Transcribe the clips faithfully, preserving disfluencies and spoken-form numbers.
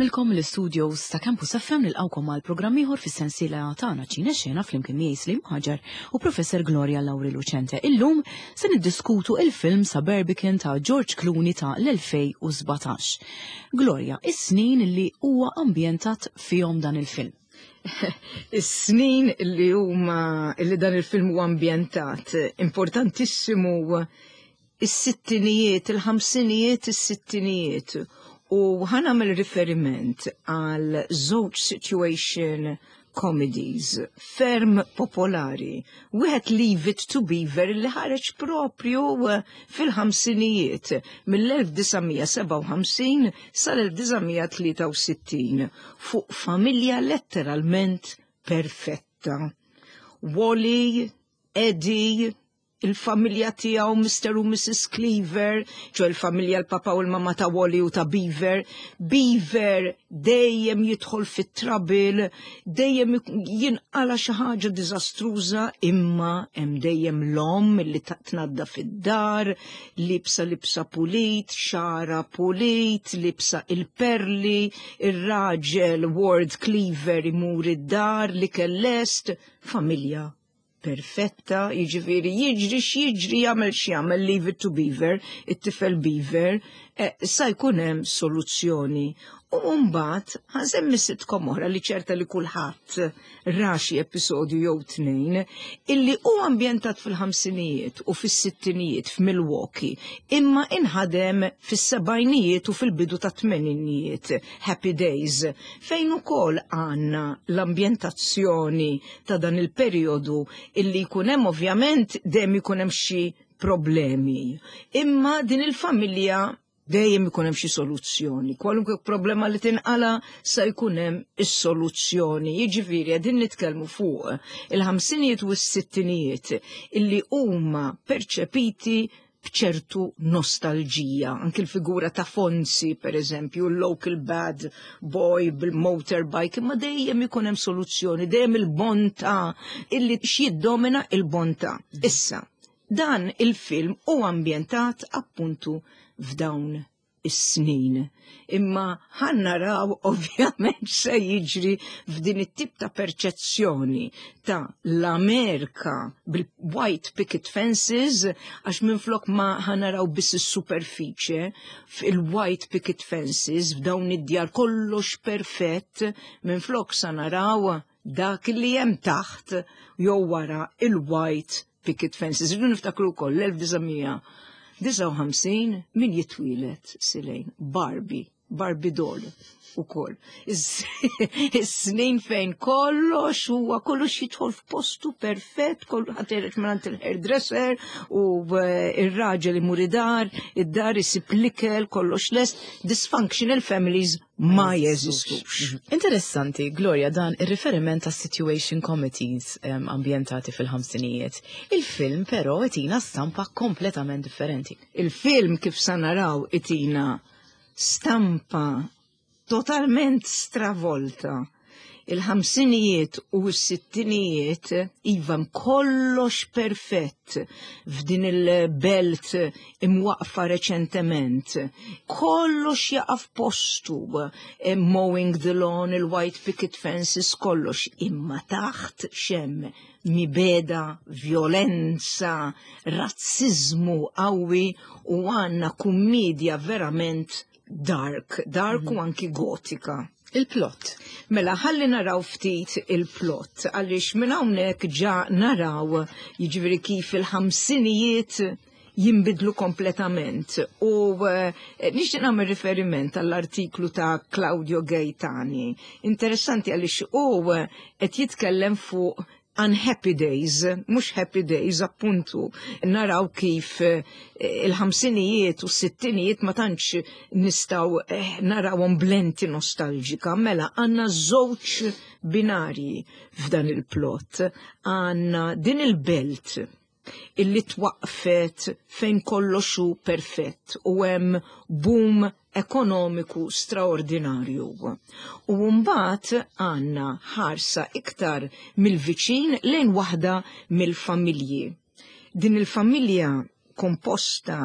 Insellmilkom l-studios ta' Campus F M, nilqgħukom għal programm ieħor fis-sensiela tagħna Ċine Xena flimkien miegħi Slim Ħaġar u Professor Gloria Lauri Lucente. Illum se niddiskutu il-film Suburbicon ta' George Clooney ta' l-elfejn u sbatax. Gloria, is-snin li huwa ambjentat fihom dan il-film. Is-snin li huma li dan il-film huwa ambjentat, importantissimu, is-sittinijiet, il-ħamsinijiet, is-sittinijiet. U ħa nagħmel riferiment għal żewġ situation comedies ferm popolari. Wieħed Leave It to Beaver, li ħareġ propju fil-ħamsinijiet, mill-elf disa' mija sebgħa u ħamsin sal-elf disa' mija tlieta u sittin, fuq familja letteralment perfetta. Wally, Eddie, il-familja tiegħu, Mister u Missus Cleaver, ċoè il-familja, l-papa u l-mama ta' Wally u ta' Beaver. Beaver dejjem jidħol fit-trouble, dejjem jinqala xi ħaġa diżastruża, imma hemm dejjem l-omm li tnadda fid-dar, libsa libsa pulit, xagħarha pulit, libsa il-perli, ir-raġel Ward Cleaver imur id-dar li kellest, familja perfetta, jiġifieri jiġri x'jiġri, jagħmel x'jagħmel Leave It to Beaver, it-tifel Beaver, eh, sa jkun hemm soluzzjoni. U mbagħad ħa nsemmi sitcom oħra li ċerta li kulħadd ra xi episodju jew tnejn, illi hu ambjentat fil-ħamsinijiet u fis-sittinijiet f'Milwaukee, imma inħadem fis-sebgħinijiet u fil-bidu ta' tmeninijiet, Happy Days, fejn ukoll għandna l-ambjentazzjoni ta' dan il-perjodu illi jkun hemm, ovvjament dejjem ikun hemm xi problemi. Imma din il-familja dejjem ikun hemm xi soluzzjoni. Kwalunkwe problema li tinqala sa jkun hemm is-soluzzjoni. Jiġifieri qegħdin nitkellmu fuq il-ħamsinijiet u s-sittinijiet illi huma perċepiti bċertu nostalġija. Anki l-figura ta' Fonzi, per eżempju, l-local bad boy bil-motorbike, imma dejjem ikun hemm soluzzjoni, dejjem il-bontà, illi x'jiddomina il-bontà. Issa, dan il-film hu ambjentat appuntu f'dawn is-snin. Imma ħa naraw ovvjament se jiġri f'din it-tip ta' perċezzjoni ta' l-Amerika bil-white picket fences, għax minflok ma ħa naraw biss is-superfiċe fil-white picket fences, f'dawn id-djar kollox perfett, minflok sa naraw dak li hemm taħt jew wara il-white picket fences. Irridu niftakru wkoll l-elf disa' mija disgħa u ħamsin min jitwieled, Silejn? Barbie, Barbie doll ukoll. Is-snin fejn kollox huwa kollox jidħol f'postu perfett, kollu ħatereġ minn il-hairdresser u eh, ir-raġel imur id-dar, id-dar isib l-ikel, kollox lest, dysfunctional families ma jeżistux. Interessanti, Gloria, dan ir-riferiment ta' situation comedies um, ambjentati fil-ħamsinijiet. Il-film però itina stampa kompletament differenti. Il-film, kif sa naraw, itina stampa totalment stravolta. Il-ħamsinijiet u s-sittinijiet, iva, kollox perfett f'din il-belt imwaqfa reċentement. Kollox jaqaf postu, eh, mowing the lawn, il-white picket fences, kollox. Imma taħt x'hemm? Mibegħda, violenza, razzizmu qawwi u għandna kummedja verament dark, dark u anki gotika. Il-plot. Mela, ħalli naraw ftit il-plot, għaliex minn hawnhekk ġa naraw jiġifieri kif il-ħamsinijiet jimbidlu kompletament. U eh, nixtieq nagħmel riferiment għall-artiklu ta' Claudio Gaetani. Interessanti għaliex hu qed jitkellem fuq unhappy days, mhux happy days, appuntu, naraw kif eh, il-ħamsinijiet u s-sittinijiet ma tantx nistgħu eh, narawhom b'lenti nostalġika. Mela, għandna żewġ binarji f'dan il-plot. Għandna din il-belt illi twaqfet fejn kollox hu perfett u hemm boom ekonomiku straordinarju. U mbagħad għandna ħarsa iktar mill-viċin lejn waħda mill-familji. Din il-familja komposta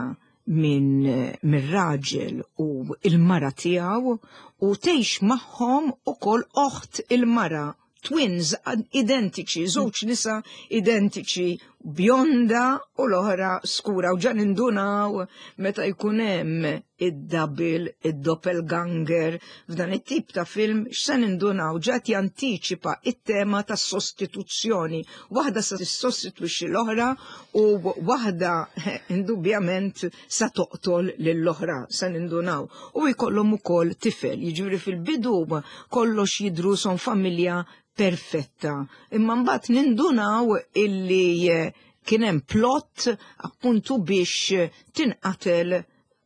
minn mir-raġel u il-mara tiegħu u tgħix magħhom ukoll oħt il-mara, twins identiċi, żewġ nisa identiċi, bjonda u l-oħra skura, u ġa nindunaw meta jkun hemm id-double, id-doppelganger, f'dan it-tip ta' film x'se nindunaw, ġa jantiċipa it-tema ta' sostituzzjoni. Waħda sa tissostitwixxi l-oħra u waħda indubjament sa toqtol lill-oħra, sa nindunaw. U jkollhom ukoll tifel, jiġifieri fil-bidu kollox jidru son familja perfetta. Imma mbagħad nindunaw illi kien hemm plot appuntu biex tinqatel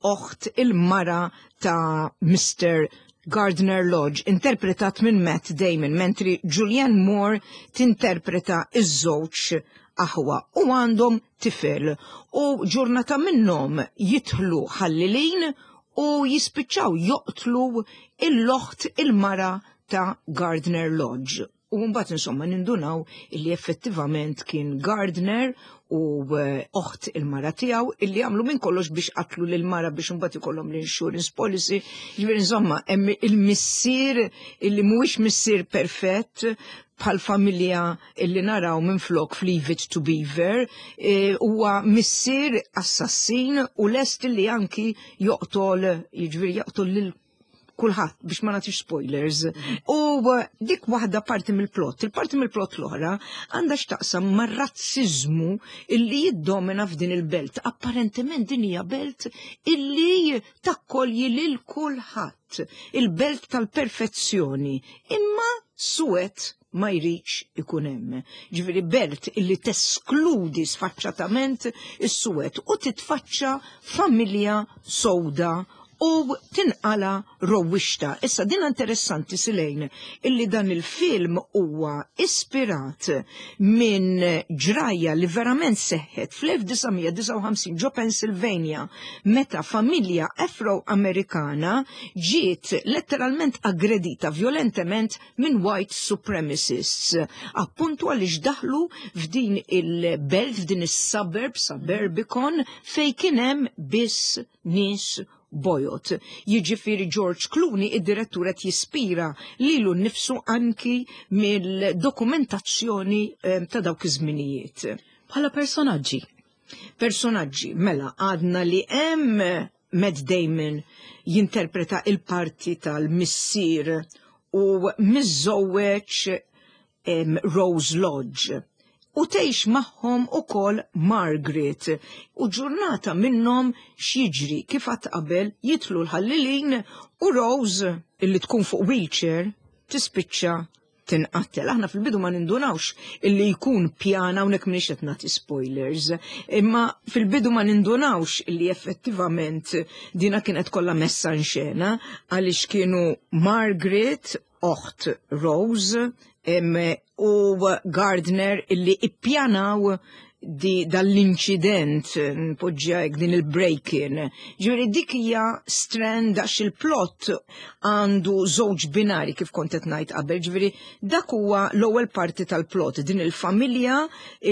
oħt il-mara ta' Mister Gardner Lodge, interpretat minn Matt Damon, mentri Julianne Moore tinterpreta iż-żewġ aħwa, u għandhom tifel. U ġurnata minnhom jidħlu ħallilin u jispiċċaw joqtlu l-oħt il-mara ta' Gardner Lodge. U mbagħad insomma nindunaw illi effettivament kien Gardner u eh, oħt il-mara tiegħu illi għamlu minn kollox biex qatlu lil mara biex imbagħad ikollhom l-insurance policy. Ġifieri insomma hemm il-missier illi mhuwiex missier perfett bħal familja illi naraw minn flok f'Leave It to Beaver, eh, huwa missier assassin u lest illi anki joqtol, jiġifieri joqtol lil kulħadd, biex ma nagħtix spoilers. U dik waħda parti mill-plot. Il-parti mill-plot l-oħra għandha x'taqsam mar-razziżmu illi jiddomina f'din il-belt. Apparentement din hija belt illi takkolji lil kulħadd. Il-belt tal-perfezzjoni. Imma suwed ma jridx ikun hemm. Ġifieri belt illi teskludi sfaċċatament is-suwed, u titfaċċa familja sowda u tinqala rowwixta. Issa din interessanti, Silejn, illi dan il-film huwa ispirat minn ġraja li verament seħħet fl-elf disa' mija disgħa u ħamsin ġo Pennsylvania, meta familja Afro-Amerikana ġiet letteralment aggredita violentement minn white supremacists. Appuntu għaliex daħlu f'din il-belt, f'din is-suburb, Suburbicon, fej kien hemm biss nies bojod. Jiġifieri George Clooney, id-direttur, qed jispira lilu nnifsu anki mill-dokumentazzjoni eh, ta' dawk iż-żminijiet. Bħala personaġġi. Personaġġi, mela, għadna li hemm Matt Damon jinterpreta il-parti tal-missier u miżżewweġ em, Rose Lodge. U tgħix magħhom ukoll Margaret. U ġurnata minnhom x'jiġri, kif għad qabel, jidħlu l-ħallilin u Rose, illi tkun fuq wheelchair, tispiċċa tinqattel. Aħna fil-bidu ma nindunawx illi jkun pjana, hawnhekk m'iniex qed nagħti spoilers, imma fil-bidu ma nindunawx illi effettivament dina kienet kollha messa in xena għaliex kienu Margaret, oħt Rose, em, u Gardner illi ippjanaw di dall-inċident, npoġġja hekk, din il-break-in. Ġifieri dik hija strand għax il-plot għandu żewġ binari kif kont qed ngħid qabel, ġifieri dak huwa l-ewwel parti tal-plot, din il-familja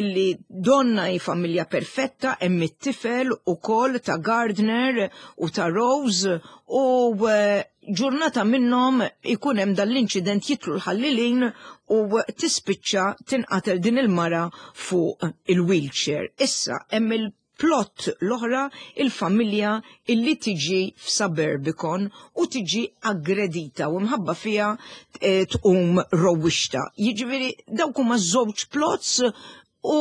illi donna hi familja perfetta, hemm it-tifel ukoll ta' Gardner u ta' Rose, u eh, ġurnata minnhom ikun hemm dal-inċident, jidħlu l-ħallilin u tispiċċa tinqatel din il-mara fuq il-wheelchair. Issa hemm il-plot l-oħra, il-familja illi tiġi f'Suburbicon u tiġi aggredita u mħabba fija eh, tqum rowwixta. Jiġifieri dawk huma żewġ plots u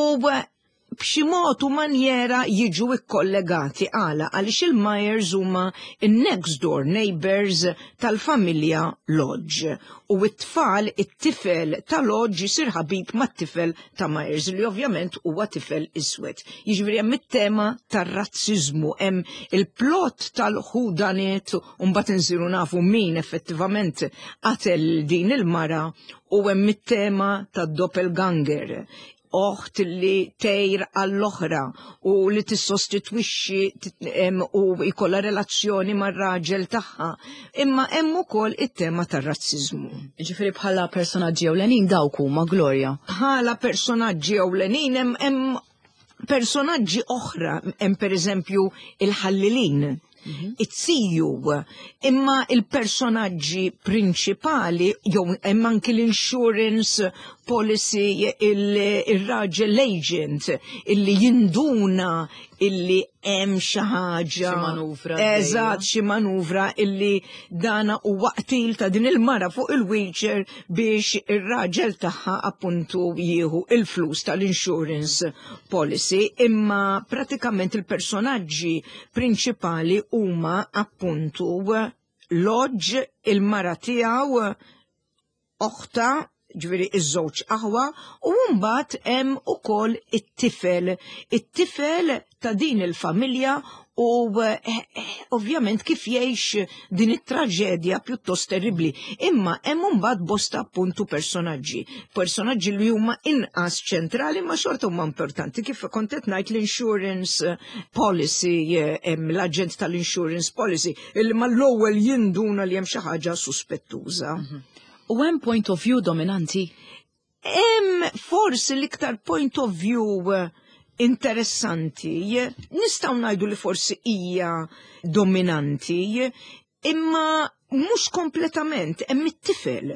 b'xi mod u manjera jiġu ikkollegati. Għala? Għaliex il-Myers huma in-next door neighbors tal-familja Lodge. U it-tfal, it-tifel ta' Lodge jisir ħabib mat-tifel ta' Myers, li ovvjament huwa tifel iswed. Jiġifieri hemm it-tema tar-razziżmu, hemm il-plot tal-whodunit u mbagħad insiru nafu min effettivament qatel din il-mara, u hemm it-tema tad-doppelganger, oħt li tgħir għall-oħra u li tissostitwixxi tit- em, u jkollha relazzjoni mar-raġel tagħha. Imma hemm ukoll it-tema tar-razziżmu. Ġifieri bħala personaġġi ewlenin dawk huma, Gloria. Bħala personaġġi ewlenin hemm hemm Personaġġi oħra, hemm pereżempju il-ħallilin, it-siju, imma il-personaġġi prinċipali, jew hemm anki l-insurance policy, il-raġel l-agent, illi jinduna illi hemm xi ħaġa. Xi manuvra. Eżatt, xi manuvra illi dana u waqtil ta' din il-mara fuq il-wheelchair biex ir-raġel tagħha appuntu jieħu il-flus tal-insurance policy, imma pratikament il-personaġġi prinċipali huma appuntu Lodge, il-mara tiegħu, oħta, ġifieri iż-żewġ aħwa, u mbagħad hemm ukoll it-tifel, it-tifel ta' din il-familja u eh, eh, ovvjament kif jgħix din it-traġedja pjuttost terribli. Imma hemm mbagħad bosta appuntu personaġġi, personaġġi li huma inqas ċentrali ma xorta huma importanti. Kif kont qed ngħid l-insurance policy, eh, hemm l-aġent tal-insurance policy illi mal-ewwel jinduna li hemm xi ħaġa suspettuża. U hemm point of view dominanti? Hemm forsi l-iktar point of view eh, interessanti, nistgħu ngħidu li forsi hija dominanti, imma mhux kompletament, hemm it-tifel.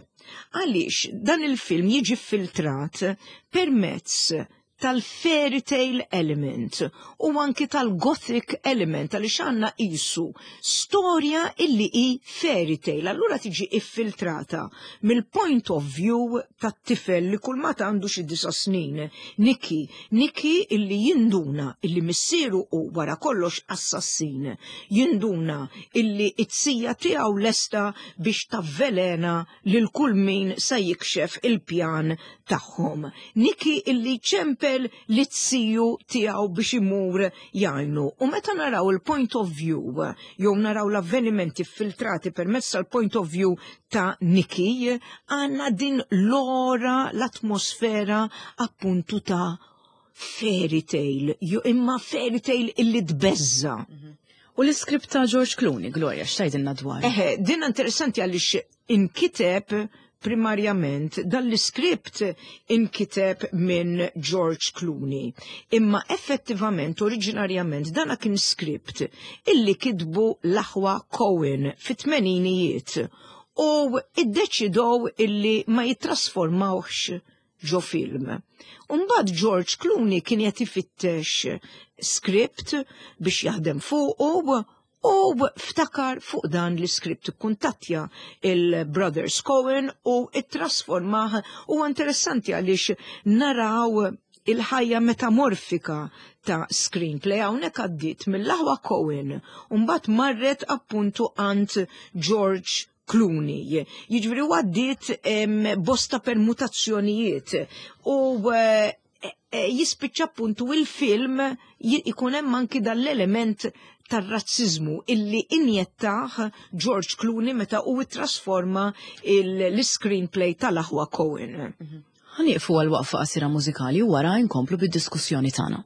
Għaliex dan il-film jiġi filtrat permezz tal-fairy tale element u anki tal-gothic element, għaliex għandna qisu storja illi hi fairy tale. Allura tiġi iffiltrata mill-point of view tat-tifel li kull ma għandu xi disa' snin, Nicky. Nicky illi jinduna illi missieru u wara kollox assassin, jinduna illi it-sija tiegħu lesta biex tavvelena lil kull min sa jikxef il-pjan tagħhom. Nicky illi ċempel li t-siju tiegħu biex imur jgħinu. U meta naraw il-point of view, jew naraw l-avvenimenti filtrati permezz tal-point of view ta' Nicky, għandna din l-ora, l-atmosfera appuntu ta' fairy tale, ju imma fairy tale illi tbeżza. U l-iskript ta' George Clooney, Gloria, x'tgħidilna dwar? Eħe, din interessanti għaliex inkiteb primarjament, dan l-iskript inkiteb minn George Clooney. Imma effettivament, oriġinarjament, dana kien skript illi kitbu l-aħwa Coen fit-tmeninijiet u iddeċidow illi ma jitrasformawx ġo film. Umbagħad George Clooney kien qed ifittex skript biex jaħdem fuqu u ftakar fuq dan l-iskript, kuntattja il-Brothers Coen u it-trasformah. U interessanti għaliex naraw il-ħajja metamorfika ta' screenplay hawnhekk għaddiet mill-aħwa Coen u mbagħad marret appuntu għand George Clooney. Jiġifieri għaddiet bosta permutazzjonijiet u eh, eh, jispiċċa appuntu il-film ikun hemm anki dal-element tar-razzizmu illi injettaħ George Clooney meta u trasforma l-screenplay tal-aħwa Coen. Ħa nieqfu għal waqfa qasira mużikali u wara nkomplu bid-diskussjoni tagħna.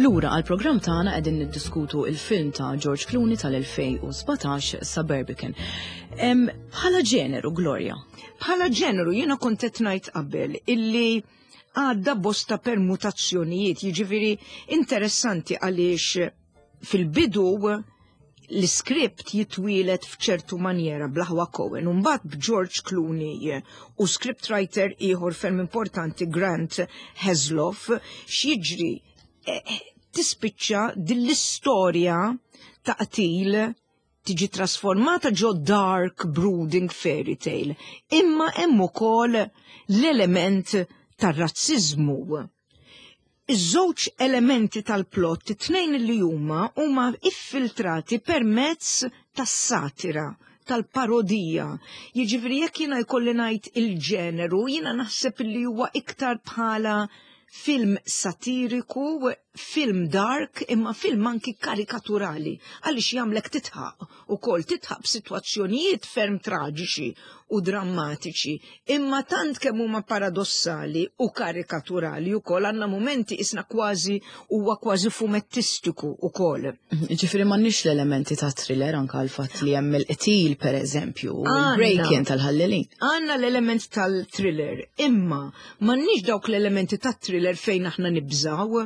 Lura għal-programm tagħna, qegħdin niddiskutu il-film ta' George Clooney tal-elfejn u sbatax, Suburbican. Bħala ġeneru, Gloria? Bħala ġeneru, jiena kont qed ngħid qabel illi għadda bosta permutazzjonijiet, jiġifieri interessanti għaliex fil-bidu l-script jitwieled f'ċertu manjera bl-aħwa Coen, mbagħad b'George Clooney u scriptwriter ieħor ferm importanti, Grant Heslov, x'jiġri, eh, tispiċċa din l-istorja ta' qtil tiġi trasformata ġo dark brooding fairy tale. Imma hemm ukoll l-element tar-razzizmu. Iż-żewġ elementi tal-plot, it-tnejn li huma huma iffiltrati permezz tas-satira, tal-parodija. Jiġifieri jekk jiena jkolli ngħid il-ġeneru, jiena naħseb li huwa iktar bħala film satiriku, film dark, imma film anki karikaturali, għaliex jagħmlek tidħaq ukoll, tidħaq b'sitwazzjonijiet ferm traġiċi u drammatiċi, imma tant kemm huma paradossali u karikaturali ukoll, għandna momenti isna kważi huwa kważi fumettistiku ukoll. Ġifieri m'għandniex l-elementi ta' thriller, anka l-fatt li hemm il-qtil, per eżempju, il-break-in tal-ħallelin. Għandna l-element tal-thriller, imma m'għandniex dawk l-elementi tat-thriller fejn aħna nibżaw,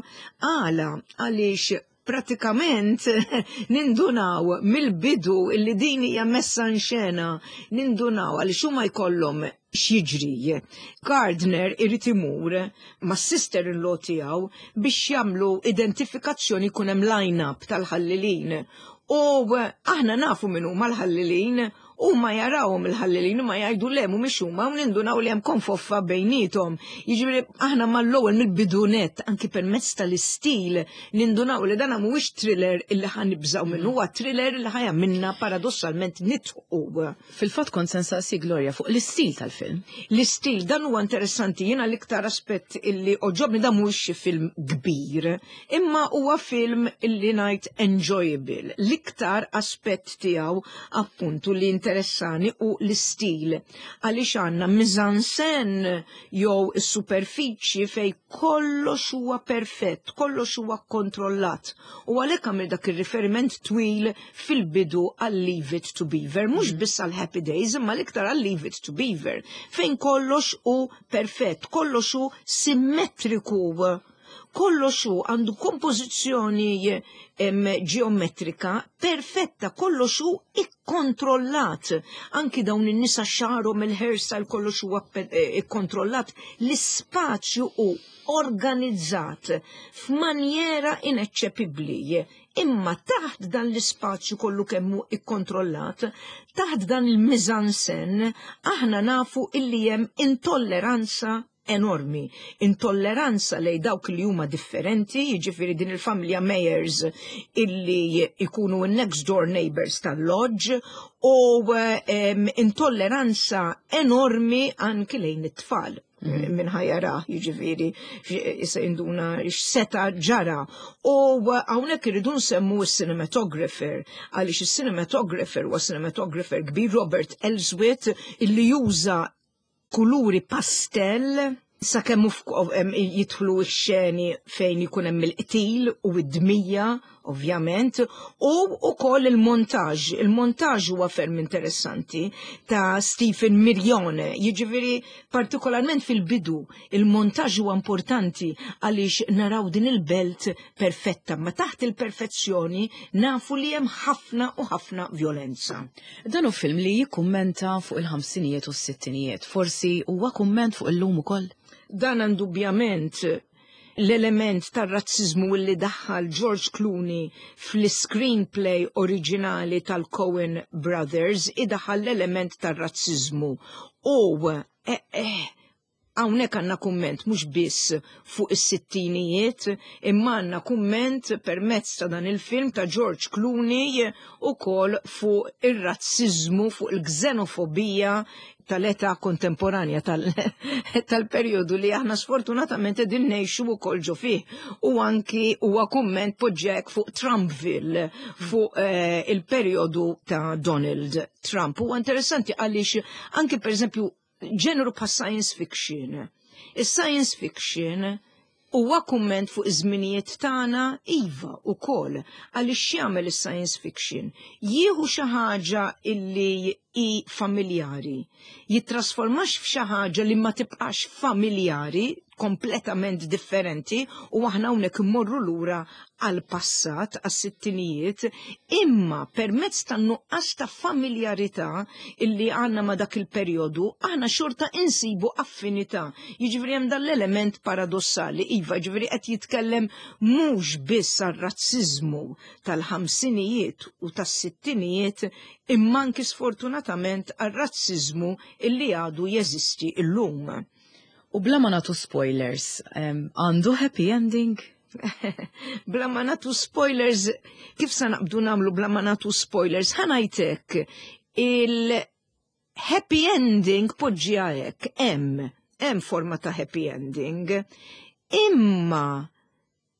għala għaliex pratikament nindunaw mill-bidu illi din hija messa in xena, nindunaw għaliex huma jkollhom, x'jiġri, Gardner irid imur ma' sister-in-law tiegħu biex jagħmlu identifikazzjoni, jkun hemm line-up tal-ħallilin. U aħna nafu min huma l-ħallilin, u ma jarawhom il-ħallelin u ma jgħidu le, mhumiex huma, u nindunaw li hemm konfoffa bejniethom. Jiġifieri aħna mal-ewwel, mill-bidunet, anki permezz tal-istil, nindunaw li dan mhuwiex thriller illi ħa nibżgħu minnu, huwa thriller illi ħa jagħmilna paradossalment nidħqu. Fil-fatt kont se nsaqsi, Gloria, fuq l-istil tal-film. L-istil, dan huwa interessanti, jiena l-iktar aspett illi għoġobni, dan mhuwiex xi film kbir, imma huwa film illi ngħid enjoyable. L-iktar aspett tiegħu appuntu li interessani u l-istil, għaliex għandna mise-en-scène jew is-superfiċi fej kollox huwa perfett, kollox huwa kontrollat. U għalhekk għamil dak ir-riferiment twil fil-bidu għal Leave It to Beaver, mhux biss għal Happy Days, imma l-iktar għal Leave It to Beaver, fejn kollox hu perfett, kollox hu simmetriku, kollox hu għandu kompożizzjoni em, ġeometrika perfetta, kollox hu ikkontrollat. Anki dawn in-nisa xagħarhom, il-hairstyle, kollox huwa eh, ikkontrollat. L-ispazju hu organizzat f'manjera ineċċepibbli. Imma taħt dan l-ispazju kollu kemmu ikkontrollat, taħt dan il-mise-en-scène, aħna nafu illi hemm intolleranza enormi, intolleranza lej dawk li huma differenti, jiġifieri din il-familja Meyers illi ikunu next door neighbors tal-lodge, u um, intolleranza enormi anki lejn it-tfal. Mm. Min ħa jara, jiġifieri, issa induna x'seta ġara. U hawnhekk irridu nsemmu s-cinematographer, għaliex il-cinematographer huwa cinematographer kbir, Robert Elswit, illi juża kuluri pastel sakemm jidħlu x-xeni fejn ikun hemm il-qtil u id-dmija, ovvjament, u ukoll il-montaġ. Il-montaġ huwa ferm interessanti ta' Stephen Mirjone, jiġifieri partikolarment fil-bidu, il-montaġ huwa importanti għaliex naraw din il-belt perfetta, ma taħt il-perfezzjoni nafu li hemm ħafna u ħafna violenza. Dan hu film li jikkummenta fuq il-ħamsinijiet u s-sittinijiet, forsi huwa kumment fuq illum ukoll? Dan indubjament l-element tar-razzizmu li daħħal George Clooney fl-screenplay oriġinali tal-Coen Brothers idaħħal l-element tar-razzizmu. U eh, eh, hawnhekk għandna kumment mhux biss fuq is-sittinijiet, imma għandna kumment permezz ta' dan il-film ta' George Clooney ukoll fuq ir-razzizmu, fuq il-xenofobija tal-età kontemporanja, tal-perjodu li aħna sfortunatament qegħdin ngħixu wkoll ġo fih. U anki huwa kumment poġġek fuq Trumpville, fuq eh, il-perjodu ta' Donald Trump. Huwa interessanti għaliex anki, per eżempju, ġeneru pa' science fiction. Is-science fiction Huwa kumment fuq iż-żminijiet tagħna, iva, ukoll, għaliex jagħmel is-science fiction? Jieħu xi ħaġa illi hi familjari, jittrasformax f'xi ħaġa li ma tibqax familjari, kompletament differenti, u aħna hawnhekk immorru lura għal passat, għas-sittinijiet, imma permezz ta' nuqqas ta' familjarità illi għandna ma' dak il-perjodu, aħna xorta insibu affinità. Jiġifieri hemm dan l-element paradossali, iva, jiġifieri qed jitkellem mhux biss għar-razziżmu tal-ħamsinijiet u tas-sittinijiet, imma anki sfortunatament għar-razziżmu illi għadu jeżisti illum. U bla ma nagħtu spoilers, għandu happy ending? Bla ma nagħtu spoilers, kif sa naqbdu nagħmlu bla ma nagħtu spoilers? Ħa ngħidlek, il-happy ending poġġi hekk, hemm, hemm forma ta' happy ending, imma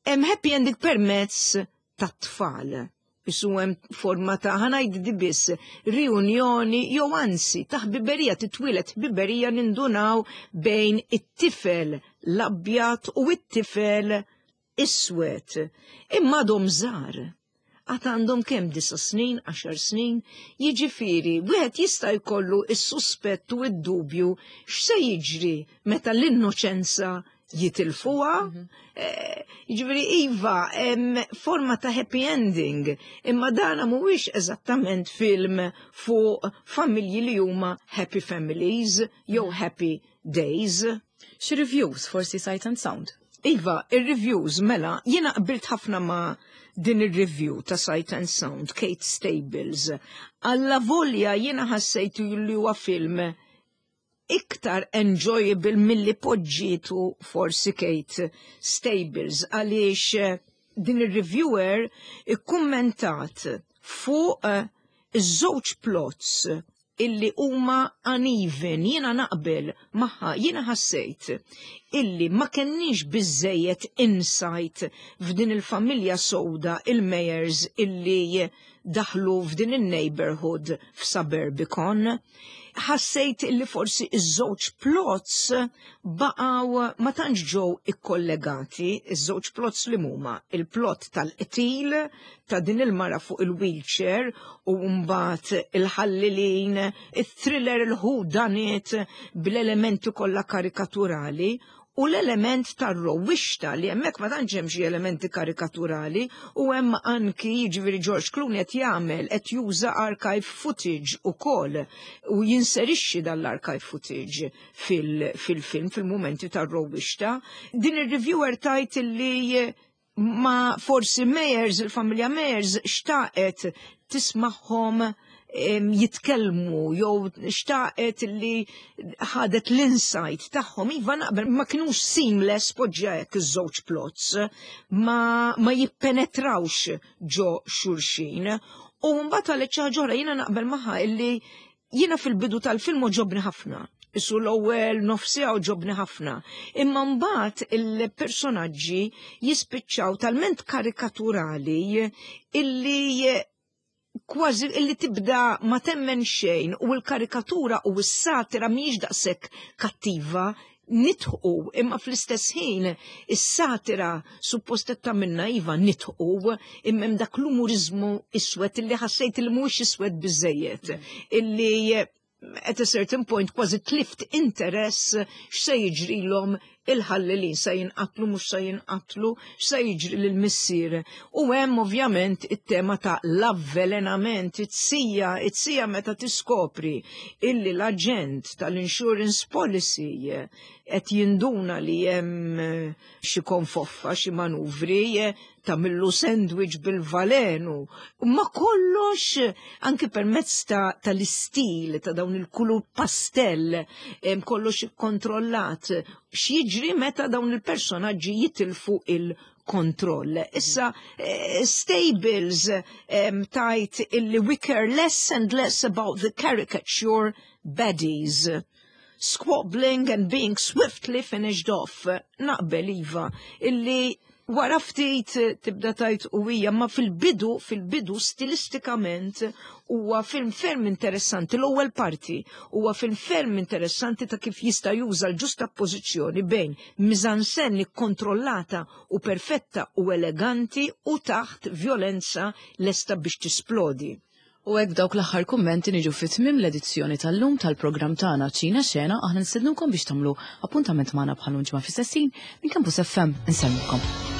hemm happy ending permezz ta' tfal. Isu hemm forma ta', ħa ngħid biss, riunjoni jew anzi ta' ħbiberija, titwieled ħbiberija, nindunaw, bejn it-tifel l-abjad u it-tifel iswed. Imma għadhom żgħar. Għad għandhom kemm, disa' snin, għaxar snin, jiġifieri, wieħed jista' jkollu is-suspett u id-dubju x'se jiġri meta l-innoċenza jitilfuha. Mhm. Eh, jiġifieri iva, forma ta' happy ending, imma dana mhuwiex eżattament film fuq familji li huma happy families jew mhm. happy days. Xi reviews forsi Sight and Sound? Iva, il-reviews, mela, jiena qbilt ħafna ma' din il-review ta' Sight and Sound, Kate Stables. Alla volja jiena ħassejtu li huwa film iktar enjoyable milli poġġietu forsi Kate Stables, għaliex eh, din il-reviewer ikkummentat fuq eh, iż-żewġ plots illi huma uneven. Jiena naqbel magħha, jiena ħassejt illi ma kenniex biżejjed insight f'din il-familja sewda, il-Meyers, illi daħlu f'din il-neighborhood f'Suburbicon. Ħassejt illi forsi iż-żewġ plots baqgħu ma tantx ġew ikkollegati, iż-żewġ plots li huma il-plot tal-qtil ta' din il-mara fuq il-wheelchair u mbagħad il-ħallilin, il-thriller, il-whodunit bl-elementi kollha karikaturali, u l-element tar-rowwixta li hemmhekk ma tantx hemm xi elementi karikaturali u hemm anki, jiġifieri, George Clooney qed jagħmel qed juża archive footage ukoll u jinserixxi dan l-archive footage fil-film fil-mumenti tar-rowwixta. Din ir-reviewer tgħid li ma forsi Meyers, il-familja Meyers xtaqet tismagħhom jitkellmu jew xtaqet li ħadet l-insight tagħhom. Iva, naqbel, ma kinux seamless, poġġa hekk, iż-żewġ plots ma, ma jippenetrawx ġo xulxin. U mbagħad għal ħaġa oħra jiena naqbel magħha illi jiena fil-bidu tal-film għoġobni ħafna. Isu l-ewwel nofsija għoġobni ħafna. Imma mbagħad il-personaġġi jispiċċaw talment karikaturali illi kważi illi tibda ma temmen xejn u l-karikatura u s-satira mhijiex daqshekk kattiva, nidħqu, imma fl-istess ħin is-satira suppost qed tagħmilna, iva, nidħqu, imma hemm dak l-umurizmu iswed illi ħassejt li mhuwiex iswed biżejjed, illi at a certain point kważi tlift interess x'se jiġrilhom il-ħallelin, se jinqatlu, mhux se jinqatlu, x'se jiġri lill-missier. U hemm ovvjament it-tema ta' l-avvelenament, it-sija, it-sija meta tiskopri illi l-aġent tal-insurance policy qed jinduna li hemm xi konfoffa, xi manuvri, tagħmillu sandwich bil-valenu. Ma kollox anke permezz tal-istil ta' dawn il-kulur pastell, kollox ikkontrollat. X'jiġri meta dawn il-personaġġi jitilfu il-kontroll? Issa, eh, Stables tgħid illi "we care less and less about the caricature baddies squabbling and being swiftly finished off." Naqbel, iva, illi Wara ftit tibda tgħid u hija, ma fil-bidu, fil-bidu stilistikament huwa film ferm interessanti, l-ewwel parti huwa film ferm interessanti ta' kif jista' juża l-ġustappożizzjoni bejn mise-en-scène kontrollata u perfetta u eleganti u taħt violenza lesta biex tisplodi. U hekk dawk l-aħħar kummenti niġu fi tmiem l-edizzjoni tal-lum tal-programm tagħna Ċina Xena. Aħna nistednukom biex tagħmlu appuntament magħna bħal ġimgħa fl-istess ħin minn Campus F M. Insellmilkom.